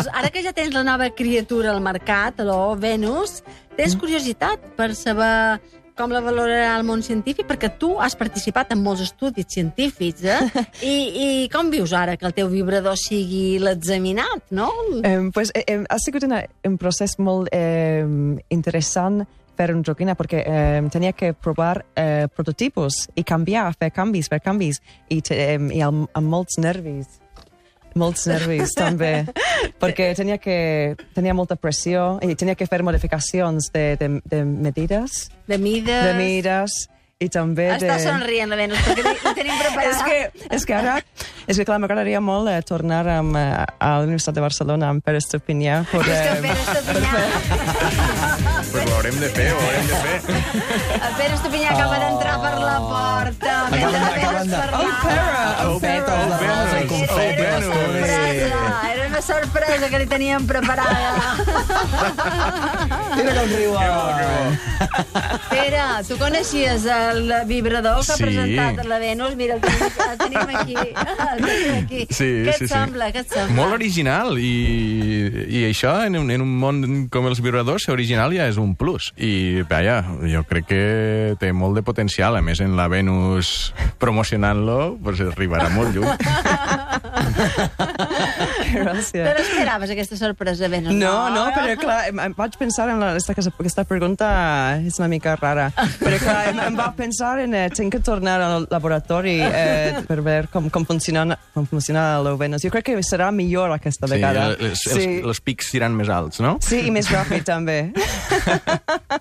Veus, ara que ja tens la nova criatura al mercat, Venus, tens curiositat per saber com la valorarà el món científic? Perquè tu has participat en molts estudis científics, I com vius ara que el teu vibrador sigui l'examinat, no? Pues ha sigut un procés molt interessant fer un joguina, perquè tenia que provar prototipos i canviar, fer canvis, i amb molts nervis. Molts nervis, també, perquè tenia molta pressió i tenia que fer modificacions de medides. De mides. De mides, i també Està somrient, la Venus, perquè ho tenim preparat. És que clar, m'agradaria molt tornar a la Universitat de Barcelona amb Pere Estupinyà. Pere Estupinyà. Pues ho haurem de fer. El Pere Estupinyà acaba d'entrar per la porta. Era una sorpresa que li teníem preparada. Mira com riuen. Pere, tu coneixies el vibrador que ha presentat la Venus? Mira, el tenim aquí. Què et sembla? Molt original, i això, en un món com els vibradors, ser original ja és un plus. I, vaja, jo crec que té molt de potencial. A més, en la Venus promocionant-lo, pues arribarà molt lluny. Gràcies. Te l'esperaves, aquesta sorpresa, Venus? No, però clar, em vaig pensar en aquesta pregunta és una mica rara. Però clar, em va pensar en tinc que tornar al laboratori per veure com funciona el Venus. Jo crec que serà millor aquesta vegada. Els pics seran més alts, no? Sí, i més ràpid, també.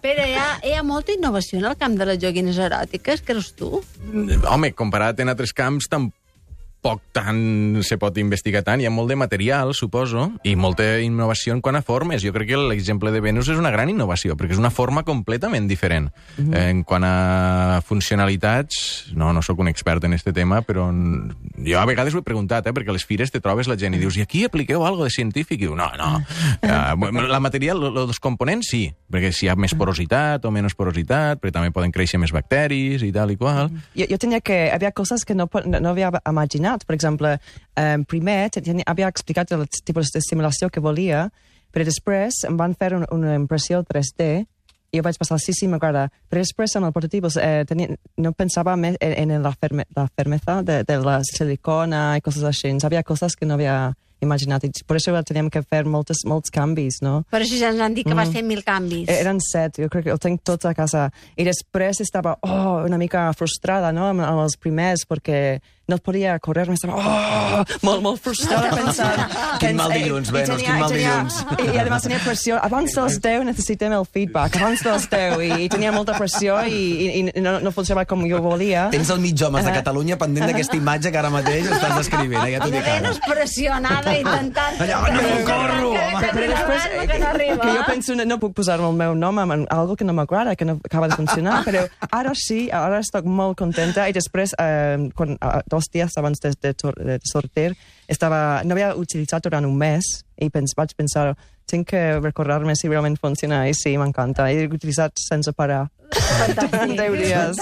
Però hi ha molta innovació en el camp de les joguines eròtiques, creus tu? Home, comparat en altres camps, tampoc tant se pot investigar tant. Hi ha molt de material, suposo, i molta innovació en quant a formes. Jo crec que l'exemple de Venus és una gran innovació, perquè és una forma completament diferent. En quant a funcionalitats, no sóc un expert en este tema, però jo a vegades ho he preguntat, perquè a les fires te trobes la gent i dius, i aquí apliqueu algo de científic? I diu, no. La material, els components, sí, perquè si hi ha més porositat o menys porositat, perquè també poden créixer més bacteris i tal i qual. Jo tenia que... Hi havia coses que no havia imaginat. Per exemple, primer havia explicat el tipus de simulació que volia, però després em van fer una impressió 3D i jo vaig pensar, sí, m'agrada. Però després amb el prototip no pensava més en la fermesa de la silicona i coses així. Havia coses que no havia imaginat. Per això teníem que fer molts canvis, no? Per això ja ens han dit que vas fer 1000 canvis. Eren 7, jo crec que el tinc tots a casa. I després estava una mica frustrada, no?, amb els primers, perquè no podia correr, estava molt frustrada pensant... Quin mal dilluns, Venus, quin mal dilluns. I además tenia pressió. Abans dels 10 necessitem el feedback, abans dels 10, i tenia molta pressió i no funcionava com jo volia. Tens el mig homes de Catalunya pendent d'aquesta imatge que ara mateix estàs descrivint, ja t'ho dic ara. Venus pressionada, intentant... No corro! Però després, que jo penso, no puc posar-me el meu nom en algo que no m'agrada, que no acaba de funcionar, però ara sí, ara estic molt contenta, i després, 2 dies abans de sortir, no havia utilitzat durant un mes, i vaig pensar, tinc que recordar-me si realment funciona, i sí, m'encanta. He utilitzat sense parar. Fantàstic. 10 dies.